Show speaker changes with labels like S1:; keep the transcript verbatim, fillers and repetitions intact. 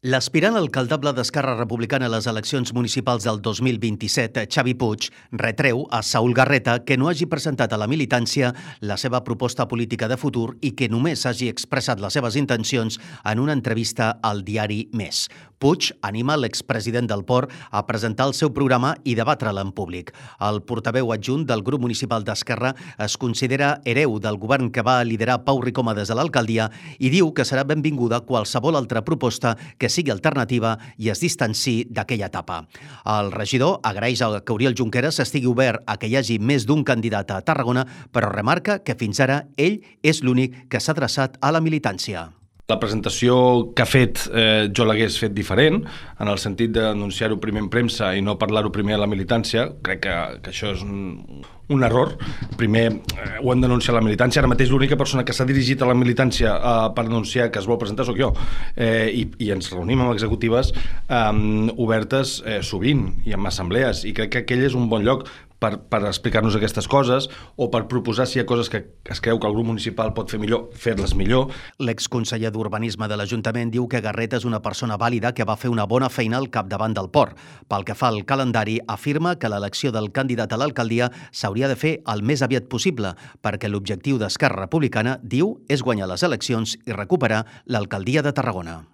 S1: L'aspirant alcaldable d'Esquerra Republicana a les eleccions municipals del dos mil vint-i-set, Xavi Puig, retreu a Saúl Garreta que no hagi presentat a la militància la seva proposta política de futur i que només hagi expressat les seves intencions en una entrevista al diari Més. Puig anima l'expresident del Port a presentar el seu programa i debatre-la en públic. El portaveu adjunt del grup municipal d'Esquerra es considera hereu del govern que va liderar Pau Ricoma des de l'alcaldia i diu que serà benvinguda qualsevol altra proposta que sigui alternativa i es distanci d'aquella etapa. El regidor agraeix que Oriol Junqueras estigui obert a que hi hagi més d'un candidat a Tarragona, però remarca que fins ara ell és l'únic que s'ha adreçat a la militància.
S2: La presentació que ha fet eh, jo l'hagués fet diferent, en el sentit d'anunciar-ho primer en premsa i no parlar-ho primer a la militància. Crec que, que això és un, un error. Primer eh, ho han d'anunciar a la militància. Ara mateix l'única persona que s'ha dirigit a la militància eh, per anunciar que es vol presentar sóc jo. Eh, i, I ens reunim amb executives eh, obertes eh, sovint i amb assemblees. I crec que aquell és un bon lloc per, per explicar-nos aquestes coses o per proposar si hi ha coses que es creu que el grup municipal pot fer millor, fer-les millor.
S1: L'exconseller d'Urbanisme de l'Ajuntament diu que Garreta és una persona vàlida que va fer una bona feina al capdavant del port. Pel que fa al calendari, afirma que l'elecció del candidat a l'alcaldia s'hauria de fer el més aviat possible, perquè l'objectiu d'Esquerra Republicana, diu, és guanyar les eleccions i recuperar l'alcaldia de Tarragona.